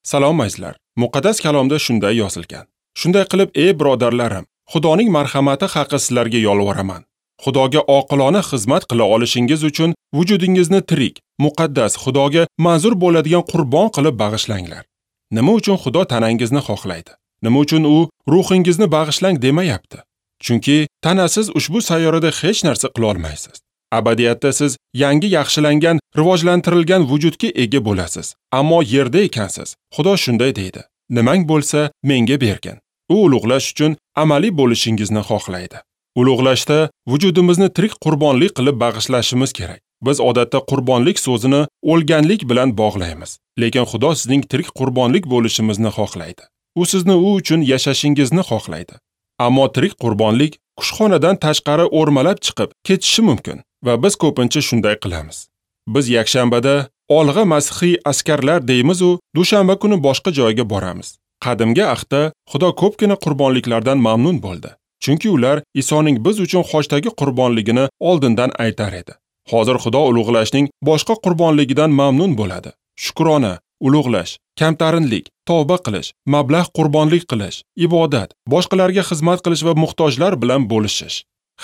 Salom azizlar. Muqaddas kalomda shunday yozilgan. Shunday qilib, ey birodarlarim, Xudoning marhamati haqi sizlarga yolvoraman. Xudoga oqilona xizmat qila olishingiz uchun vujudingizni tirik, muqaddas, Xudoga manzur bo'ladigan qurbon qilib bag'ishlanglar. Nima uchun Xudo tanangizni xohlaydi? Nima uchun u ruhingizni bag'ishlang demayapti? Chunki tanasiz ushbu sayyorada hech narsa qila olmaysiz. Abadiyatda siz yangi yaxshilangan, rivojlantirilgan vujudga ega bo'lasiz. Ammo yerda ekansiz. Xudo shunday deydi: Nimang bo'lsa, menga bergin. U ulug'lash uchun amaliy bo'lishingizni xohlaydi. Ulug'lashda vujudimizni tirik qurbonlik qilib bag'ishlashimiz kerak. Biz odatda qurbonlik so'zini o'lganlik bilan bog'laymiz. Lekin Xudo sizning tirik qurbonlik bo'lishimizni xohlaydi. U sizni u uchun yashashingizni xohlaydi. Ammo tirik qurbonlik kushxonadan tashqari o'rmalab chiqib ketishi mumkin va biz ko'pincha shunday qilamiz. Biz yakshanbada olg'a masihiy askarlar deymiz u, dushanba kuni boshqa joyga boramiz. Qadimgi ahdda Xudo ko'pgina qurbonliklardan mamnun bo'ldi. Chunki ular Isoning biz uchun xochdagi qurbonligini oldindan aytar edi. Hozir Xudo ulug'lashning boshqa qurbonligidan mamnun bo'ladi. Shukrona, ulug'lash, kamtarinlik, tavba qilish, mablag' qurbonlik qilish, ibodat, boshqalarga xizmat qilish va muhtojlar bilan bo'lishish.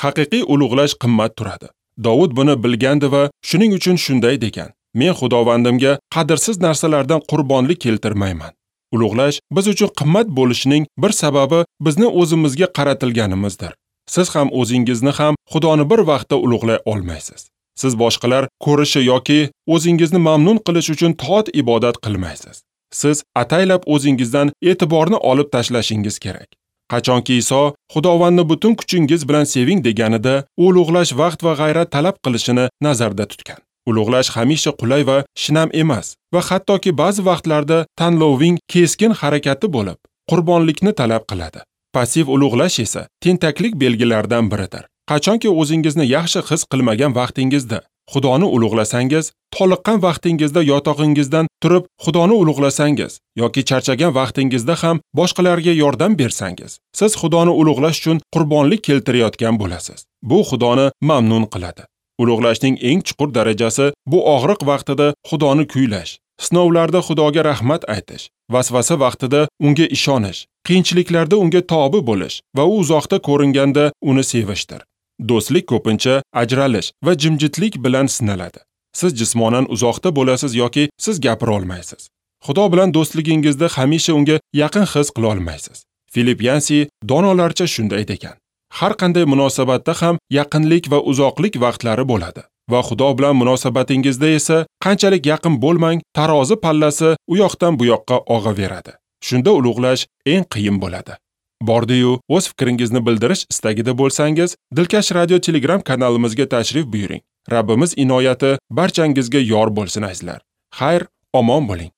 Haqiqiy ulug'lash qimmat turadi. Dovud buni bilgandi va shuning uchun shunday degan: Men Xudovandimga qadrsiz narsalardan qurbonlik keltirmayman. Ulug'lash biz uchun qimmat bo'lishining bir sababi bizni o'zimizga qaratilganimizdir. Siz ham o'zingizni ham Xudoni bir vaqtda ulug'lay olmaysiz. Siz boshqalar ko'rishi yoki o'zingizni mamnun qilish uchun toat ibodat qilmaysiz. Siz ataylab o'zingizdan e'tiborni olib tashlashingiz kerak. Qachonki Iso Xudovandni butun kuchingiz bilan seving deganida, u ulug'lash vaqt va g'ayrat talab qilishini nazarda tutgan. Ulug'lash hamisha qulay va shinam emas va hattoki ba'zi vaqtlarda tanloving keskin harakati bo'lib, qurbonlikni talab qiladi. Passiv ulug'lash esa tentaklik belgilaridan biridir. Qachonki o'zingizni yaxshi his qilmagan vaqtingizda Xudoni ulug'lasangiz, toliqqan vaqtingizda yotog'ingizdan turib Xudoni ulug'lasangiz yoki charchagan vaqtingizda ham boshqalarga yordam bersangiz, siz Xudoni ulug'lash uchun qurbonlik keltirayotgan bo'lasiz. Bu Xudoni mamnun qiladi. Ulug'lashning eng chuqur darajasi bu og'riq vaqtida Xudoni kuylash, sinovlarda Xudoga rahmat aytish, vasvasa vaqtida unga ishonish, qiyinchiliklarda unga tobi bo'lish va u uzoqda ko'ringanda uni sevishdir. Do'stlik ko'pincha ajralish va jimjitlik bilan sinaladi. Siz jismonan uzoqda bo'lasiz yoki siz gapira olmaysiz. Xudo bilan do'stligingizda hamisha unga yaqin his qila olmaysiz. Filip Yansi donolarcha shunday degan: Har qanday munosabatda ham yaqinlik va uzoqlik vaqtlari bo'ladi va Xudo bilan munosabatingizda esa qanchalik yaqin bo'lmang, tarozi pallasi u yoqdan bu yoqqa og'averadi. Shunda ulug'lash eng qiyin bo'ladi. Bordi-yu, o'z fikringizni bildirish istagida bo'lsangiz, Dilkash Radio Telegram kanalimizga tashrif buyuring. Rabbimiz inoyati barchangizga yor bo'lsin azizlar. Xayr, omon bo'ling.